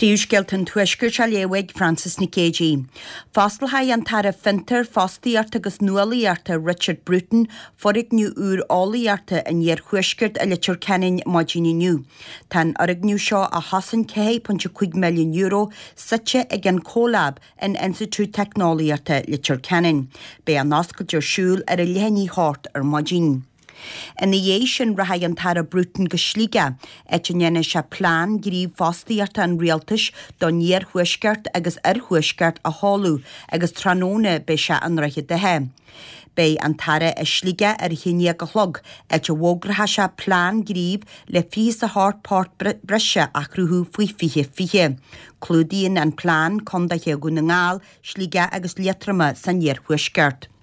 Príomhscéalta an Tuaiscirt á léamh ag Frances Nic Géadaigh. Fosclóidh an tAire Fiontar, Fostaíochta agus Nuálaíochta Richard Bruton foirgneamh úr eolaíochta an Iarthuaiscirt i Leitir Ceanainn maidin inniu. Tá an fhoirgneamh seo, a chosain €4.5 milliún, suite ag an CoLab in Institiúid Teicneolaíochta Leitir Ceanainn. Beidh an oscailt ar siúl ar a leath i ndiaidh a hocht ar maidin. Ina dhiaidh sin rachaidh an tAire Bruton go Sligeach, áit a ndéanfaidh sé plean gnímh fostaíochta an Rialtais don Iarthuaisceart agus Oirthuaisceart a sheoladh agus tráthnóna beidh sé i nDroichead Átha. Beidh an tAire i Sligeach ar a haon déag a chlog, áit a bhfógróidh sé plean gnímh le 28 post breise a chruthú faoi 2020. Clúdaíonn an plean condaetha Dhún na nGall, Sligeach agus Liatroma san Iarthuaisceart.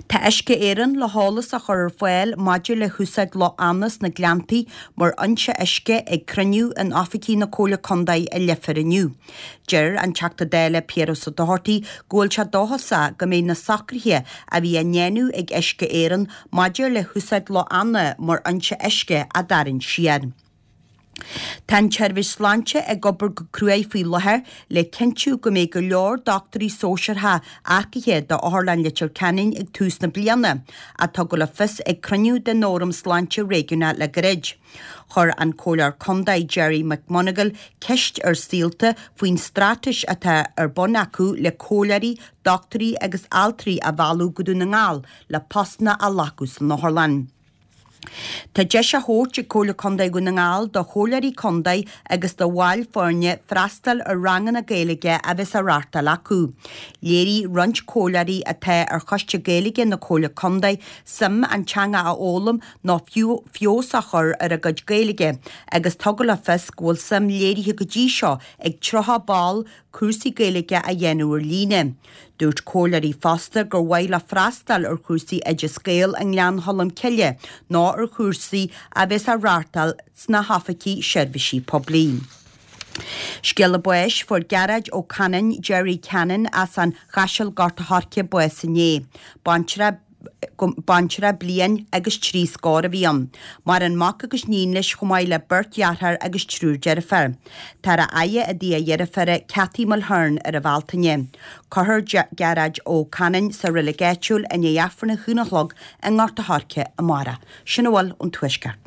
Tá Uisce Éireann le heolas a chur ar fáil maidir le húsáid Loch Anna sna Gleanntaí mar fhoinse uisce ag cruinniú in oifigí na Comhairle Contae i Leifear inniu. Deir an Teachta Dála Piaras Ó Dochartaigh go bhfuil sé dóchasach go mbeidh na socruithe a bhí á ndéanamh ag Uisce Éireann maidir le húsáid Loch Anna mar fhoinse uisce á dtarraingt siar. Tá an tSeirbhís Sláinte ag obair go cruaidh faoi láthair le cinntiú go mbeidh go leor dochtúirí sóisearacha earcaithe d'Otharlann Leitir Ceanainn ag tús na bliana, a tugadh le fios ag cruinniú den Fhóram Sláinte Réigiúnach le gairid. Chuir an Comhairleoir Contae Gerry McMonagall ceist ar Saolta faoin straitéis atá ar bun acu le comhairleoirí, dochtúirí agus altraí a mhealladh go Dún na nGall le postanna a ghlacadh san otharlann. Tá deis á thabhairt ag Comhairle Contae Dhún na nGall do Chomhairleoirí Contae agus do bhaill foirne freastal ar ranganna Gaeilge a bheas á reáchtáil acu. Léirigh roinnt Comhairleoirí atá ar Choiste Gaeilge na Comhairle Contae suim an teanga a fhoghlaim nó fiú feabhas a chur ar a gcuid Gaeilge agus tugadh le fios go bhfuil suim léirithe go dtí seo ag 30 ball cúrsaí Gaeilge a dhéanamh ar líne. Dúirt comhairleoirí fosta gur mhaith leo freastal ar chúrsaí Oideas Gael i nGleann Cholm Cille nó ar chúrsaí a bheas á reáchtáil sna hoifigí seirbhísí poiblí. Scéala báis, Fuair Gearóid Ó Canainn, Gerry Cannon, as an Chaiseal Gort a' Choirce bás inné. Baintreach. Baintreach bliain agus 3 scór a bhí ann. Maireann mac agus níon leis chomh maith le beirt dheartháir agus triúr deirféar. Táthar á fhaire i dtigh a dheirféara Cathy Mulhern ar an Bhealtaine. Cuirfear Gearóid Ó Canainn sa reilig áitiúil i ndiaidh Aifreann a haon a chlog i nGort a' Choirce amárach. Sin a bhfuil ón Tuaisceart.